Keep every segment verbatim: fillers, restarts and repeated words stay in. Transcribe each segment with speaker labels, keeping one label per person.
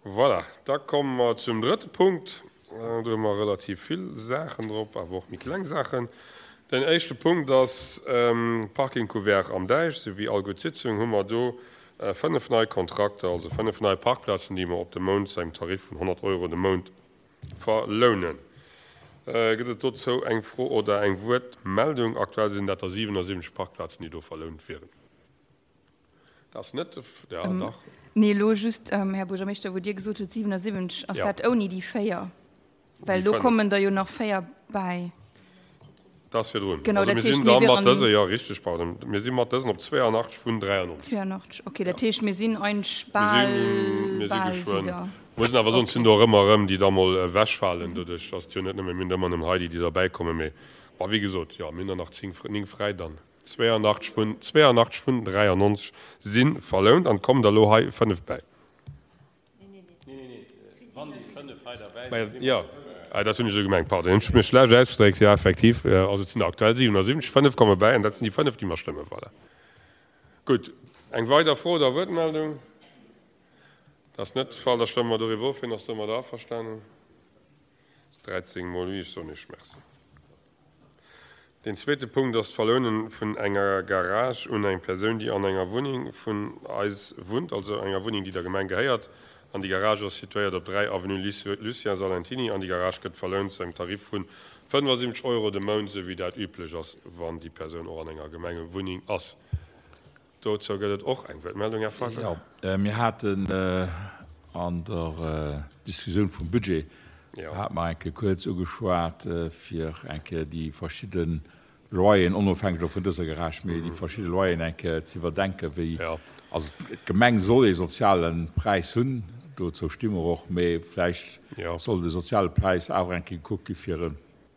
Speaker 1: Voilà, da komme mer zum drëtte Punkt. Do hu mer relativ vill Saachen drop, awer och méi kleng Saachen. Den éischte Punkt ass Parking couvert am Däich. Sou wéi all gutt Sitzung hu mer do fënnef nei Kontrakter, also fënnef nei Parkplazen, déi mer op de Mount zu engem Tarif vun honnert Euro de Mount verlounen. Gëtt et dozou eng Fro oder eng Wuertmeldung? Aktuell sinn dat der siwenasiwwenzeg Parkplazen, déi do verlount wieren. Dat ass net de, ja, dach.
Speaker 2: Nee, elo just, Här Buergermeeschter, wou Dir gesot hutt siwenasiwwenzeg, ass dat ouni déi véier? Well do kommen der jo nach véier bäi.
Speaker 1: Dat ass virdrun. Genau, dat heescht, mir wieren. Also mir sinn da mat dëse, jo, richteg, pardon, mir si mat dësen op zweeanachtzeg vun dräiannonzeg.
Speaker 2: Zweeanachtzeg, okay, dat heescht, mir sinn eigentlech bal, bal wieder.
Speaker 1: Muss een awer soen, et sinn do och ëmmer erëm déi da mol ewechfalen, doduerch datt jo net nëmme, mir hunn ëmmer nëmmen hei déi, déi derbäikommen, mee bon, wéi gesot, jo, mir hunn der nach zéng, néng fräi dann. Zweeanachtzeg vun, zweeanachtzeg vun dräiannonzeg si verlount an et kommen der elo hei fënnef bäi. Jo, dat hunn ech esou gemengt, pardon, hunn ech mech schlecht ausgedréckt. Jo, effektiv, also et sinn der aktuell siwenasiwwenzeg, fënnef komme bäi an dat sinn déi fënnef, déi mer stëmmen. Voilà. Gutt, eng weider Fro oder Wuertmeldung? Dat ass net de Fall. Da stëmme mer doriwwer of. Wien ass domadder averstanen? dräizéng mol oui. Ech soen Iech Merci. Deen zweete Punkt ass d'Verlounen vun enger Garage un eng Persoun, déi an enger Wunneng vun eis wunnt, also enger Wunneng, déi der Gemeng gehéiert. An déi Garage ass situéiert op dräi Avenue Lucien Salentiny an déi Garage gëtt verlount zu engem Tarif vu fënnefasiwwenzeg Euro de Mount, esou wéi dat üblech ass, wann déi Persoun och an enger Gemengewunneng ass. Dozou gëtt et och eng Wuertmeldung, Här Faytel.
Speaker 3: Jo, mir haten an der Diskussioun vum Budget, hate mer eng Kéier kuerz ugeschwat, fir eng Kéier déi verschidde Loyeren, onofhängeg elo vun dëser Garage, mee déi verschidde Loyeren eng Kéier ze iwwerdenken, wéi, also d'Gemeng soll ee soziale Präis hunn, dozou sti mer och, mee vläicht soll de soziale Präis awer eng Kéier gekuckt gi fir e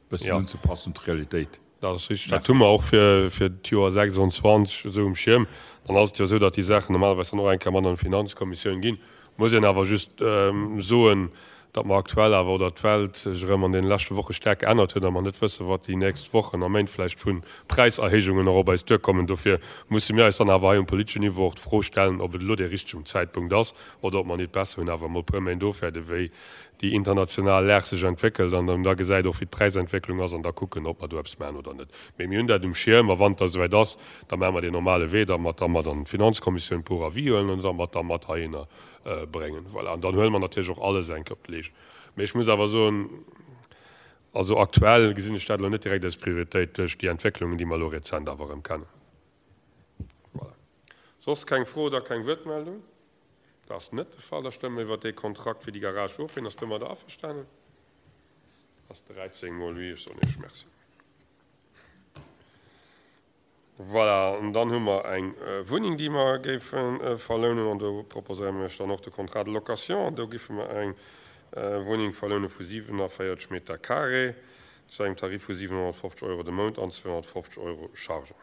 Speaker 3: bëssen unzepassen un d'Realitéit.
Speaker 1: Dat ass richtig. Dat hu mer och fir fir d'Joer sechsundzwanzeg esou um Schierm. Dann ass et jo esou, datt déi Saachen normalerweis dann och eng Kéier mat an d'Finanzkommissioun ginn. Muss een awer just soen, datt mer aktuell awer, oder d'Welt sech erëm an deene leschte Woche staark geännert huet a mer net wëssen, wat déi nächst Wochen a Méint vläicht vu Präiserhéijungen och op eis duerkommen. Dofir musse mir eis dann awer hei um politeschen Niveau och d'Fro stellen, ob et elo dee richtegem Zäitpunkt ass oder ob mer nit besser hunn, awer emol e puer Méint ofwäerden, wéi déi international Lag sech entwéckelt an dann da gesäit och wéi d'Präisentwécklung ass an da kucken, ob mer do eppes maachen oder net. Mee mir hunn dat um Schierm a wann et da souwäit ass, da maache mer deen normale Wee, datt mer da mat an d'Finanzkommissioun pour avis huelen an datt mer da mat heihinner bréngen. Voilà. An dann huele mer natierlech och alles eng Kéier op d'Leescht. Mee ech muss awer soen, also aktuell gesinn ech dat elo net direkt als Prioritéit duerch déi Entwécklungen, déi mer elo rezent awer erëm kennen. Voilà. Soss keng Fro oder keng Wuertmeldung? Dat ass net de Fall. Da stëmme mer iwwert dee Kontrakt fir déi Garage of. Wien ass domadder averstanen? Dat ass dräizéng mol oui. Ech soen Iech Merci. Voilà, an dann hu mer eng Wunneng, déi mer géife verlounen. An do proposéiere mer Iech dann och de Contrat de location. An do géife mer eng Wunneng verloune vu siwenavéierzeg Meter carré zu engem Tarif vu siwenhonnertfofzeg Euro de Mount an zweehonnertfofzeg Euro Chargen.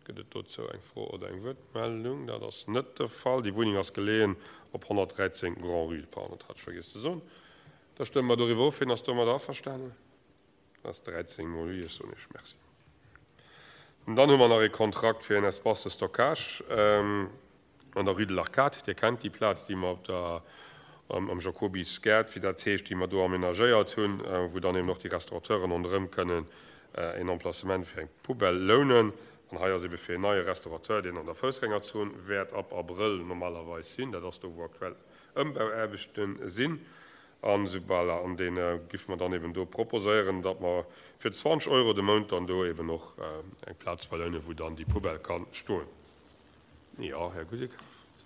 Speaker 1: Gëtt et dozou eng Fro oder eng Wuertmeldung? Dat ass net de Fall. Déi Wunneng ass geleeën op honnertdräizéng Grand-Rue. Pardon, dat hat ech vergiess ze soen. Da stëmme mer doriwwer of. Wien ass domadder averstanen? Dat ass dräizéng mol oui. Ech soen Iech Merci. An dann hu mer nach ee Kontrakt fir en Espace de stockage an der Rue de l'Arcade. Dir kennt déi Plaz, déi mer op der, am Jacobis Gaart, wéi dat heescht, déi mer do amenagéiert hunn, wou dann eben och déi Restaurateuren ronderëm kënnen een Emplacement fir eng Poubelle lounen. An hei ass ebe fir een neie Restaurateur, deen an der Foussgängerzon wäert ab Abrëll normalerweis sinn, dat ass do, wou aktuell Ëmbauaarbechte sinn, an esoubal, an dee giff mer dann eben do proposéieren, datt mer fir zwanzeg Euro de Mount dann do eben och eng Plaz verlounen, wou dann déi Poubelle ka stoen. Jo, Här Gudek.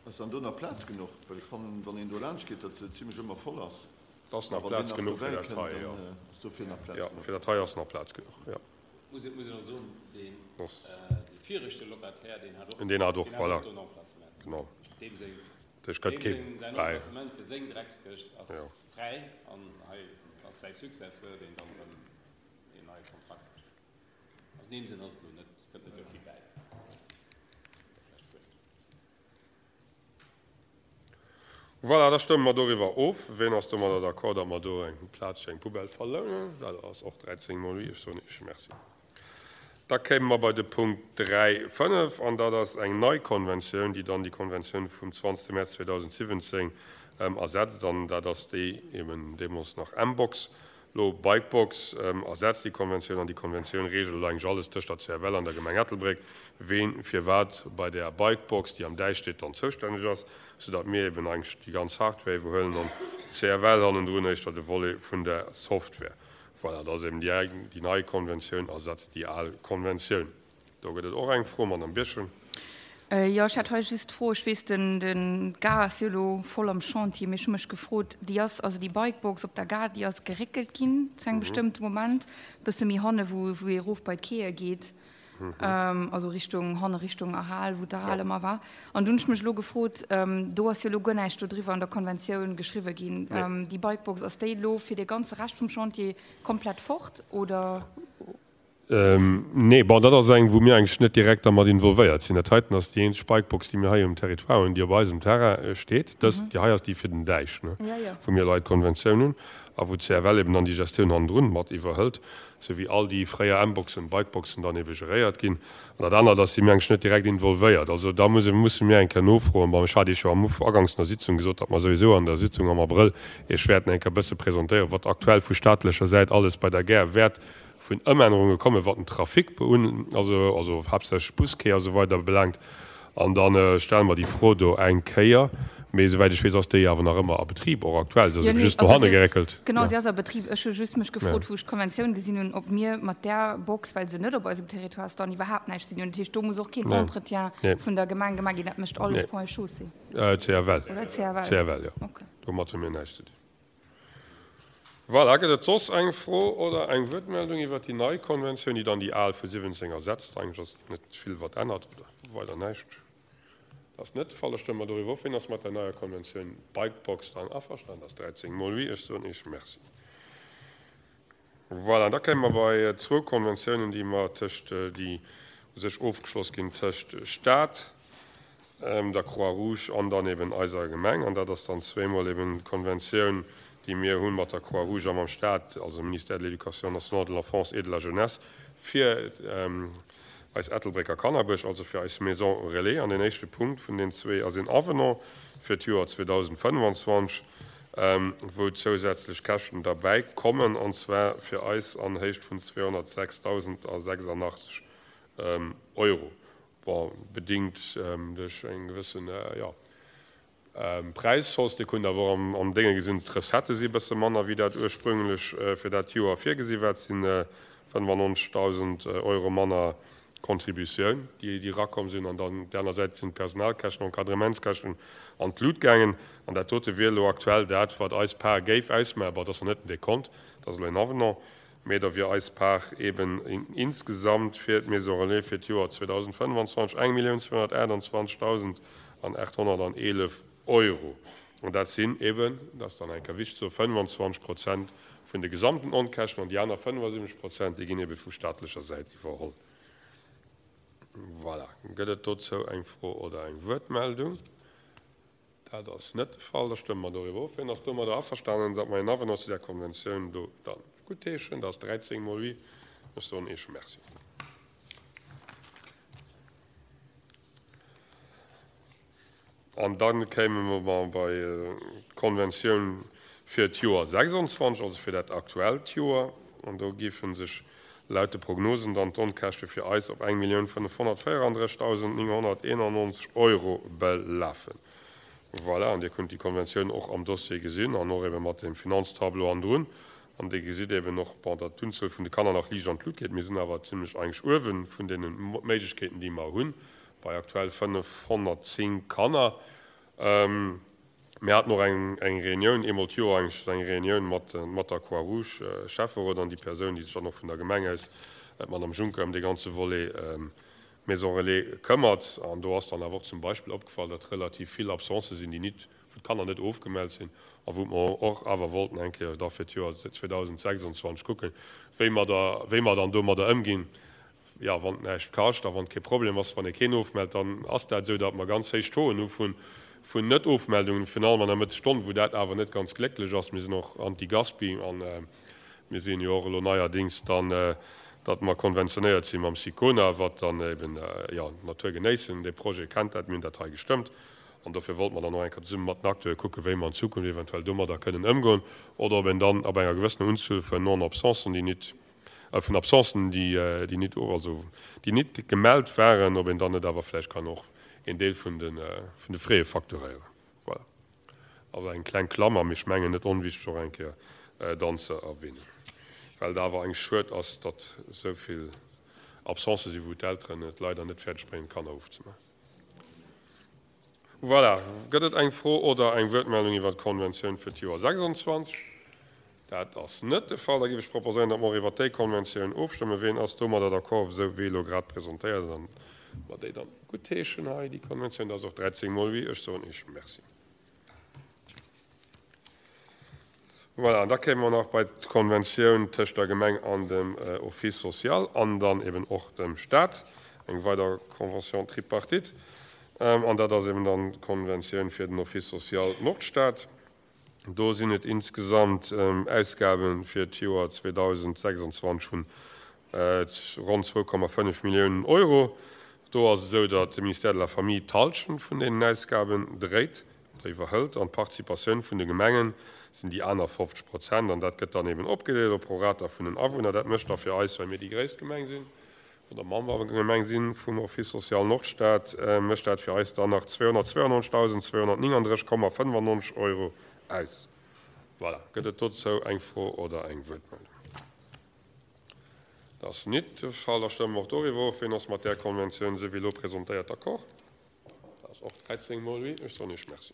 Speaker 4: Ass dann do nach Plaz genuch? Well ech fannen, wann een do laanscht geet, datt se zimlech ëmmer voll ass.
Speaker 1: Et ass nach Plaz genuch fir dat hei, jo. Jo, fir dat hei ass nach Plaz genuch, jo.
Speaker 5: Muss een och soen, dee viregte Locataire, deen hat och,
Speaker 1: deen hat och, voilà,
Speaker 5: do en Emplacement.
Speaker 1: Genau.
Speaker 5: Deem seng,
Speaker 1: Dech gëtt kee
Speaker 5: deem säin
Speaker 1: bäi.
Speaker 5: Emplacement fir seng Dreckskëscht ass
Speaker 1: Jo.
Speaker 5: fräi an hei ass säi Successeur, deen dann erëm een neie Kontrakt mécht. Also an deem Sënn ass et elo net, kënnt net esou vill bäi. Vläicht guer net.
Speaker 1: Voilà, da stëmme mer doriwwer of. Wien ass domadder d'accord, datt mer do eng Plaz fir eng Poubelle verlounen? Dat ass och dräizéng mol oui. Ech soen Iech Merci. Da kéime mer bei de Punkt dräi fënnef, an dat ass eng nei Konventioun, déi dann déi Konventioun vum zwanzegste Mäerz zweedausendsiwwenzéng ersetzt, an dat ass déi eben deemools nach M-Box, elo Bikebox, ersetzt déi Konventioun. An déi Konventioun reegelt elo eigentlech alles tëscht der C F L an der Gemeng Ettelbréck, ween firwat bei där Bikebox, déi am Däich steet, dann zoustänneg ass, soudatt mir eben eigentlech déi ganz Hardware iwwerhuelen an d'C F L hannendrun éischter de Volet vun der Software. Voilà, dat ass eben déi, déi nei Konventioun ersetzt déi al Konventioun. Do gëtt et och eng Fro, Madame Birchen.
Speaker 2: Jo, ech hätt hei just d'Fro, ech weess, den, den, d'Gare ass jo elo voll am Chantier, mee ech hu mech gefrot, déi ass, also déi Bikebox op der Gare, déi ass geréckelt ginn zu engem bestëmmte Moment, e bësse méi hanne wou, wou ee erof bei d'Quaie geet, also Richtung, hanne Richtung Aral, wou d'Aral ëmmer war. An dunn hunn ech mech elo gefrot, do ass jo elo guer näischt do driwwer an der Konventioun geschriwwe ginn, déi Bikebox, ass déi elo fir dee ganze Rescht vum Chantier komplett fort, oder?
Speaker 1: Nee, bon, dat ass eng, wou mir eigentlech net direkt dermat involvéiert sinn. Dat heiten ass déi eenzeg Bikebox, déi mir hei um Territoire hunn, déi op eisem Terrain steet. Dës, déi hei ass déi fir den Däich, ne, wou mir elo hei d'Konventioun hunn a wou d'C F L eben dann déi Gestioun hannendrun mat iwwerhëlt, sou wéi all déi fréier M-Boxen, Bikeboxen dann ebe geréiert ginn. An dat anert ass, si mir eigentlech net direkt involvéiert. Also da muss, musse mir eng Kéier nofroen. Bon, ech hat Iech jo am Uf, aganks der Sitzung gesot, datt mer souwisou an der Sitzung am Abrëll Iech wäerten eng Kéier e bësse presentéieren, wat aktuell vu staatlecher Säit alles bei der Gare wäert vun Ëmännerunge kommen, wat den Trafic beun, also, also haaptsächlech Busquai a sou weider belaangt. An da stelle mer déi Fro do eng Kéier. Mee esouwäit ech weess, ass déi awer nach ëmmer a Betrib, och aktuell. Se ass ebe just no hanne geréckelt.
Speaker 2: Genau, se ass a Betrib. Ech hu just mech gefrot, wou ech d'Konventioun gesinn hunn, ob mir mat där Box, well se net op eisem Territoire ass, dann iwwerhaapt näischt ze dinn hunn. Dat heescht, do muss och keen Entretien vun der Gemeng gemaach ginn. Dat mécht alles Ponts et Chaussées.
Speaker 1: C F L.
Speaker 2: Oder C F L.
Speaker 1: C F L, jo. Domat hu mir näischt ze dinn. Voilà, gëtt et soss eng Fro oder eng Wuertmeldung iwwert déi nei Konventioun, déi dann déi al vu siwwenzéng ersetzt? Eigentlech ass net vill, wat ännert, oder weider näischt. Dat ass net de Fall. Da stëmme mer doriwwer of. Wien ass mat der neier Konventioun Bikebox dann averstanen? Dat ass dräizéng mol oui. Ech soen Iech Merci. Voilà, da kéime mer bei zwou Konventiounen, déi mer tëscht, déi u sech ofgeschloss ginn tëscht Stat, der Croix-Rouge an dann eben eiser Gemeng. An dat ass dann zweemol eben d'Konventioun, déi mir hu mat der Croix-Rouge a mam Stat, also Ministère de l'Éducation nationale, de l'Enfance et de la Jeunesse, fir eis Ettelbrécker Kannerbësch, also fir eis Maison Relais. An deen éischte Punkt vun den zwee ass een Avenant fir d'Joer zweedausendfënnwanzwanzeg, wou zousätzlech Käschten derbäi kommen, an zwar fir eis an Héicht vun zweehonnertsechsdausendasechsundachtzeg Euro. Bon, bedingt duerch eng gewëssen, jo, Präishausse. Dir kunnt awer och am Dénge gesinn, d'Recettë si e bësse manner, wéi dat ursprünglech fir dat Joer virgesi war. Et si fënnefannonzegdausend Euro manner Contributioun, déi erakomm sinn. An dann op där aner Säit sinn d'Personalkäschten, Encadrementskäschten an d'Lut gaangen. An dat dote wier elo aktuell dat, wat eis Part géif ausmaachen. Bon, dat ass nach net den Dekont, dat ass elo en Avenant, mee da wier eis Part eben insgesamt fir d'Maison Relais fir d'Joer zweedausendfënnwanzwanzeg eng Millioun zweehonnertaachtundzwanzegdausend an aathonnerteelef Euro. An dat sinn eben, dat ass dann eng Kéier wichteg ze soen, fënnwanzwanzeg Prozent vun de gesamten Onkäschten an déi aner fënnefasiwwenzeg Prozent, déi ginn ebe vu staatlecher Säit iwwerholl. Voilà. Gëtt et dozou eng Fro oder eng Wuertmeldung? Dat ass net de Fall. Da stëmme mer doriwwer of. Wien ass domadder averstanen, datt mer en Avenant zu där Konventioun do dann guttheeschen? Dat ass dräizéng mol oui. Ech soen Iech Merci. An da kéime mer bei d'Konventioun fir d'Joer sechsundzwanzeg, also fir dat aktuellt Joer. An do géife sech laut de Prognosen dann d'Onkäschte fir eis op eng Millioun fënnefhonnertvéierandrëssegdausend nénghonnerteenannonzeg Euro belafen. Voilà, an Dir kënnt déi Konventioun och am Dossier gesinn an och ebe mat dem Finanztableau hannendrun. An Dir gesitt eben och, bon, datt d'Unzuel vun de Kanner nach liicht an d'Lut geet. Mir sinn awer zimlech eigentlech uewe vun deene Méiglechkeeten, déi mer hunn, bei aktuell fënnefhonnertzéng Kanner. Mir haten och eng eng Reunioun, eemol d'Joer eigentlech esou eng Reunioun mat mat der Croix-Rouge, Schäfferot an déi Persoun, déi sech dann och vun der Gemeng aus, d'Madame Juncker, ëm dee ganze Volet Maison Relais këmmert. An do ass dann awer och zum Beispill opgefall, datt relativ vill Absencë sinn, déi nit, wou d'Kanner net ofgemellt sinn a wou mer och awer wollten eng Kéier da fir d'Joer zweedausendsechsundzwanzeg kucken, wéi mer da, wéi mer dann domadder ëmginn. Jo, wann et näischt kascht a wann et kee Problem ass, wann ee keen ofmellt, dann ass dat esou, datt mer ganz héich Tauxen hu vun, vun Net-Ofmeldungen, virun allem an der Mëttesstonn, wou dat awer net ganz glécklech ass. Mir sinn och anti-Gaspi an mir sinn jo och elo neierdings dann datt mer konventionéiert si mam Sicona, wat dann eben, jo, d'Natur genéissen. Dee Projet kennt dat, mir hunn dat hei gestëmmt. An dofir wollte mer dann och eng Kéier zesumme mat den Acteure kucken, wéi mer an Zukunft eventuell domadder kënnen ëmgoen oder ob een dann ab enger gewëssener Unzuel vun Non-Absencen, déi nit, vun Absencen, déi, déi nit, also déi nit gemellt waren, ob een dann net awer vläicht kann och een Deel vun de, vun de Frais facturéieren. Voilà. Also eng kleng Klammer, mee ech mengen net onwichtig och eng Kéier dann ze erwähnen, well et awer eng schued ass, datt esou vill Absencë sinn, wou d'Elteren et leider net fäerdeg bréngen, d'Kanner ofzemaachen. Voilà. Gëtt et eng Fro oder eng Wuertmeldung iwwert d'Konventioun fir d'Joer sechsundzwanzeg? Dat ass net de Fall. Da géif ech proposéieren, datt mer och iwwert déi Konventioun ofstëmmen. Ween ass domadder d'accord, esou wéi elo grad presentéiert, an mer déi dann guttheeschen hei, déi Konventioun? Dat ass och dräizéng mol oui. Ech soen Iech Merci. Voilà, an da kéime mer nach bei d'Konventioun tëscht der Gemeng an dem Office social an dann eben och dem Stat, eng weider Convention tripartite. An dat ass eben dann d'Konventioun fir den Office social Nordstad. Do sinn et insgesamt Ausgabe fir d'Joer zweedausendsechsundzwanzeg vun ronn zwou Komma fënnef Milliounen Euro. Do ass et esou, datt de Ministère de la Famille d'Hallschent vun deenen Ausgaben dréit oder iwwerhëlt an d'Participatioun vun de Gemengen sinn déi aner fofzeg Prozent an dat gëtt dann eben opgedeelt op prorata vun den Awunner. Dat mécht da fir eis, well mir déi gréisst Gemeng sinn oder Membergemeng sinn vum Office social Nordstad, mécht dat fir eis dann nach zweehonnertzweiundneunzegtausendzweihunnertnienunddrësseg Komma fënnefannonzeg Euro aus. Voilà. Gëtt et dozou eng Fro oder eng Wuertmeldung? Dat ass nit de Fall. Da stëmme mer och doriwwer of. Wien ass mat där Konventioun, esou wéi elo presentéiert, d'accord? Dat ass och dräizéng mol oui. Ech soen Iech Merci.